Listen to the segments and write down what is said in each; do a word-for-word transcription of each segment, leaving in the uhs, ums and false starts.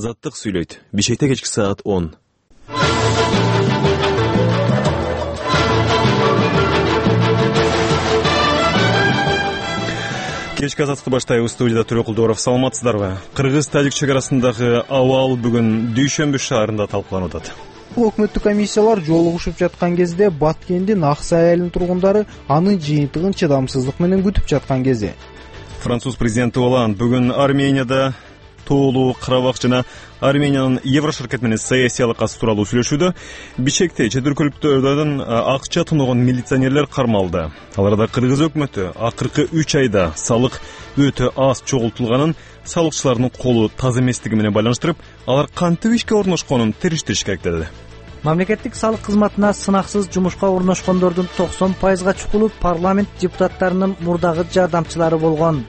Азаттык сүйлөйт. Бишкекте кечки саат он. Кечки азаттыкты баштайбыз. Студияда Төрө Кулдоров. Саламатсыздарбы? Кыргыз-Тажик чек арасындагы абал бүгүн Дүйшөмбү шаарында талкууланып атат. Өкмөттүк комиссиялар жолугушуп жаткан кезде Баткендин Аксай айылынын тургундары анын жыйынтыгын чыдамсыздык менен күтүп жаткан кези. Француз президенти Оланд бүгүн Арменияда тоолуу Карабак жана Армениянын Еврошеркет менен саясий алакасы тууралуу сүйлөшүүдө. Бишкекте чет өлкөлүктөрдөн акча тоногон милиционерлер кармалды. Аларда Кыргыз өкмөтү акыркы үч айда салык өтө аз чогултулганын, салыкчылардын колу таза эместиги менен байланыштырып, алар кантип ишке орношконун териштириш керек деди. Мамлекеттик салык кызматына сынаксыз жумушка орношкондордун токсон пайызга чукулу парламент депутаттарынын мурдагы жардамчылары болгон.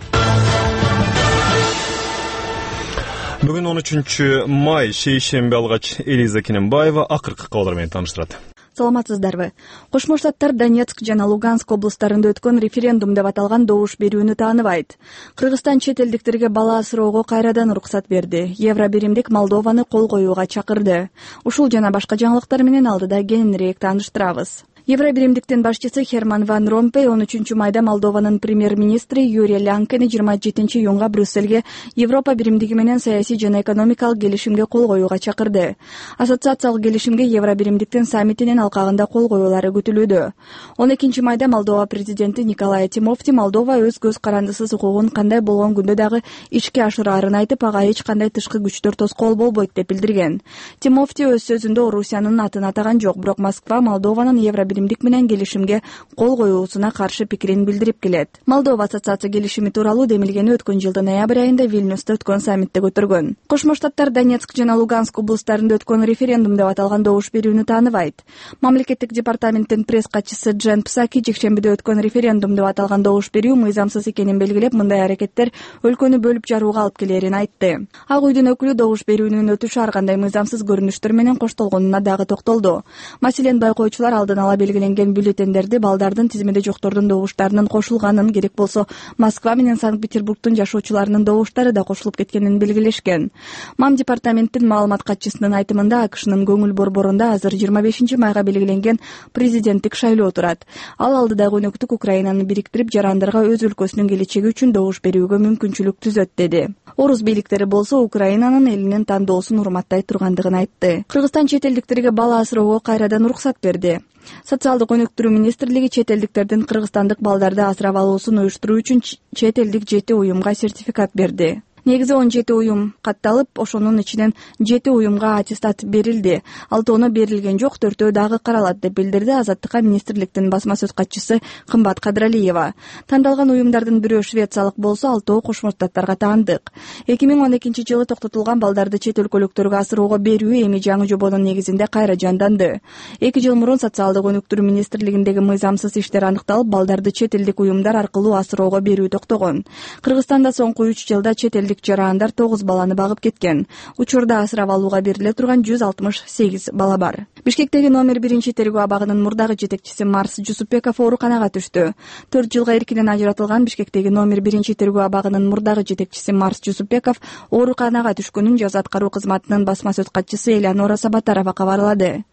Бүгүн он үчүнчү май, шейшемби алгач Элиза Кененбаева акыркы кабарлар менен тааныштырат. Саламатсыздарбы? Кошмо Штаттар Донецк жана Луганск облустарында өткөн референдум деп аталган добуш берүүнү тааныбайт. Кыргызстан чет элдиктерге бала асыроого кайрадан уруксат берди. Евро биримдик Молдованы кол коюуга чакырды. Ушул жана башка жаңылыктар менен алдыда кененирээк тааныштырабыз. Евро биримдиктин башчысы Херман Ван Ромпей он үчүнчү майда Молдованын премьер-министри Юрий Лянкени жыйырма жетинчи июнга Брюссельге Европа биримдиги менен саясий жана экономикалык келишимге кол коюуга чакырды. Ассоциациялык келишимге Евро биримдиктин саммитинин алкагында кол коюулары күтүлүүдө. он экинчи майда Молдова президенти Николай Тимофти Молдова өз көз карандысыз укугун кандай болгон күндө дагы ишке ашыраарын айтып, ага эч кандай тышкы күчтөр тоскоол болбойт деп билдирген. Тимофти өз сөзүндө Орусиянын атын атаган жок, бирок Москва Молдованын Евро биримдик менен келишимге кол коюусуна каршы пикирин билдирип келет. Молдова ассоциация келишими тууралуу демилгени өткөн жылдын ноябрь айында Вильнюста өткөн саммитте көтөргөн. Кошмо Штаттар Донецк жана Луганск облустарында өткөн референдум деп аталган добуш берүүнү тааныбайт. Мамлекеттик департаменттин пресс катчысы Джен Псаки жекшембиде өткөн референдум деп аталган добуш берүү мыйзамсыз экенин белгилеп, мындай аракеттер өлкөнү бөлүп жарууга алып келерин айтты. Ак үйдүн өкүлү добуш берүүнүн өтүшү ар кандай мыйзамсыз көрүнүштөр менен коштолгонуна дагы токтолду. Маселен, байкоочулар алдын ала белгиленген бюллетендерди балдардын тизимеде жоктордун добуштарынын кошулганын, керек болсо Москва менен Санкт-Петербургдун жашоочуларынын добуштары да кошулуп кеткенин белгилешкен. Мам департаменттин маалымат катчысынын айтымында, АКШнын көңүл борборунда азыр жыйырма бешинчи майга белгиленген президенттик шайлоо турат. Ал алдыдагы өнөктүк Украинаны бириктирип, жарандарга өз өлкөсүнүн келечеги үчүн добуш берүүгө мүмкүнчүлүк түзөт деди. Орус бийликтери болсо Украинанын элинин тандоосун урматтай тургандыгын айтты. Кыргызстан чет элдиктерге бала асыроого кайрадан уруксат берди. Социалдык өнүктүрүү министрлиги чет элдиктердин кыргызстандык балдарды асырап алуусун уюштуруу үчүн чет элдик жети уюмга сертификат берди. Негизи он жети уюм катталып, ошонун ичинен жети уюмга аттестат берилди. Алтоону берилген жок, төртөө дагы каралат деп билдирди Азаттыкка министрликтин басма сөз катчысы Кымбат Кадралиева. Тандалган уюмдардын бирөө швециялык болсо, алтоо Кошмо Штаттарга таандык. эки миң он экинчи жылы токтотулган балдарды чет өлкөлүктөргө асыроого берүү эми жаңы жобонун негизинде кайра жанданды. эки жыл мурун социалдык өнүктүрүү министрлигиндеги мыйзамсыз иштер аныкталып, балдарды чет элдик уюмдар аркылуу асыроого берүү токтогон. Кыргызстанда соңку үч жылда чет элдик жарандар тогуз баланы багып кеткен. Учурда асырап алууга бериле турган жүз алтымыш сегиз бала бар. Бишкектеги номер биринчи тергөө абагынын мурдагы жетекчиси Марс Жусупбеков ооруканага түштү. төрт жылга эркинен ажыратылган Бишкектеги номер биринчи тергөө абагынын мурдагы жетекчиси Марс Жусупбеков ооруканага түшкөнүн жаза аткаруу кызматынын басма сөз катчысы Элеонора Сабатарова кабарлады.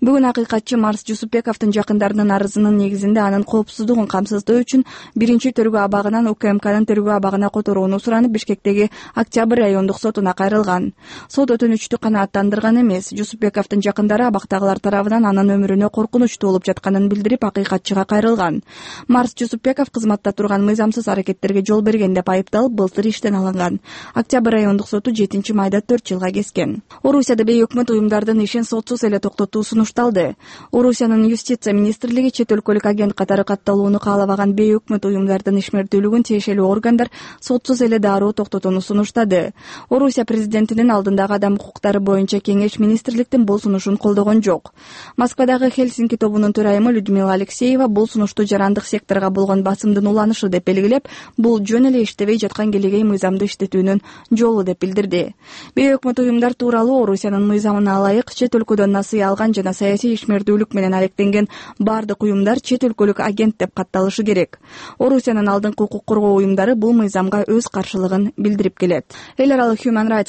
Бүгүн акыйкатчы Марс Жусупбековдун жакындарынын арызынын негизинде анын коопсуздугун камсыздоо үчүн биринчи тергөө абагынан УКМКнын тергөө абагына которууну суранып, Бишкектеги Октябрь райондук сотуна кайрылган. Сот өтүнүчтү канааттандырган эмес. Жусупбековдун жакындары абактагылар тарабынан анын өмүрүнө коркунуч туулуп жатканын билдирип, акыйкатчыга кайрылган. Марс Жусупбеков кызматта турган мыйзамсыз аракеттерге жол берген деп айыпталып, былтыр иштен алынган. Октябрь райондук соту жетинчи майда төрт жылга кескен. Орусияда бейөкмөт уюмдардын ишин сотсуз эле токтотуу сунушталды. Орусиянын юстиция министрлиги чет өлкөлүк агент катары катталууну каалабаган бейөкмөт уюмдардын ишмердүүлүгүн тиешелүү органдар сотсуз эле дароо токтотууну сунуштады. Орусия президентинин алдындагы адам укуктары боюнча кеңеш министрликтин бул сунушун колдогон жок. Москвадагы Хельсинки тобунун төрайымы Людмила Алексеева бул сунушту жарандык секторго болгон басымдын уланышы деп белгилеп, бул жөн эле иштебей жаткан келегей мыйзамды иштетүүнүн жолу деп билдирди. Бейөкмөт уюмдар тууралуу Орусиянын мыйзамына ылайык чет өлкөдөн насыя алган жана саясий ишмердүүлүк менен алектенген бардык уюмдар чет өлкөлүк агент деп катталышы керек. Орусиянын алдыңкы укук коргоо уюмдары бул мыйзамга өз каршылыгын билдирип келет. Эл аралык Human Rights